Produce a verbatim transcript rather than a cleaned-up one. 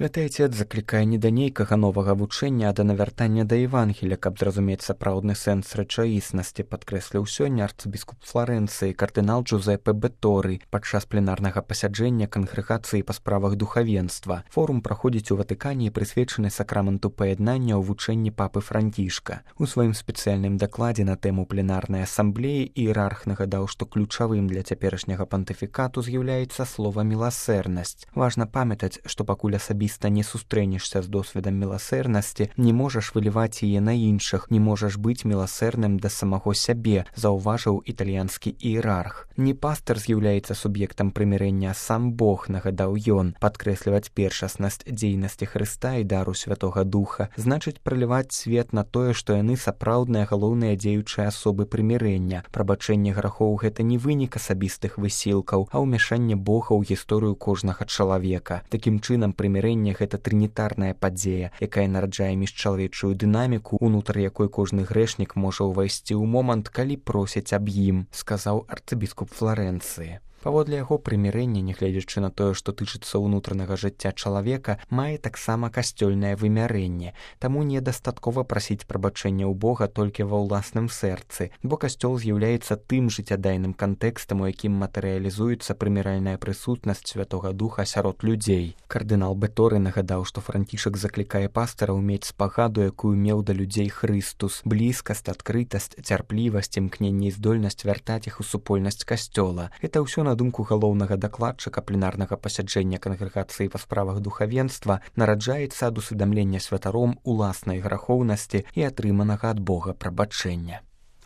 Святы Отец заклікае не да нейкага новага вучэння, а да навяртання да Евангелія, каб зразумець сапраўдны сэнс рэчаіснасці, падкрэсліў сёння арцыбіскуп Фларэнцыі кардынал Джузеппе Бетторы падчас пленарнага пасяджэння кангрэгацыі па справах духавенства. Форум праходзіць у Ватыкане і прысвечаны сакраменту паяднання ў вучэнні папы Францішка. У сваім спецыяльным дакладзе на тэму пленарнай асамблеі іерарх нагадаў, што ключавым для цяперашняга пантыфікату з'яўляецца слова «міласэрнасць». Важна памятаць, што пакуль асабіста не сустрэнешся з досведам міласэрнасці, не можаш выліваць яе на іншых, не можаш быць міласэрным да самого сябе, заўважыў італьянскі іерарх. Не пастар з'яўляецца суб'ектам прымірэння, а сам Бог, нагадаў ён. Падкрэсліваць першаснасць дзейнасці Хрыста і дару Святога Духа значыць праліваць свет на тое, што яны сапраўдныя галоўныя дзеючыя асобы прымірэння. Прабачэнне грахоў — гэта не вынік асабістых высілкаў, а ўмяшанне Бога ў гісторыю кожнага чалавека. Такім чынам, прымірэнне — гэта трынітарная падзея, якая нараджае міжчалавечую дынаміку, унутр якой кожны грэшнік можа ўвайсці ў момант, калі просяць аб ім, сказаў арцыбіскуп Фларэнцыі. Паводле яго, прымірэнне, нягледзячы на тое, што тычыцца ўнутранага жыцця чалавека, мае таксама касцёльнае вымярэнне. Таму недастаткова прасіць прабачэння ў Бога толькі ва ўласным сэрцы, бо касцёл з'яўляецца тым жыццядайным кантэкстам, у якім матэрыялізуецца прыміральная прысутнасць Святога Духа сярод людзей. Кардынал Бетторы нагадаў, што Францішак заклікае пастараў мець спагаду, якую меў да людзей Хрыстус, блізкасць, адкрытасць, цярплівасць, імкненне і здольнасць вяртаць іх у супольнасць касцёла. Гэта ўсё, на думку галоўнага дакладчыка пленарнага пасяджэння кангрэгацыі па справах духавенства, нараджаецца ад усведамлення святаром уласнай грахоўнасці і атрыманага ад Бога прабачэння.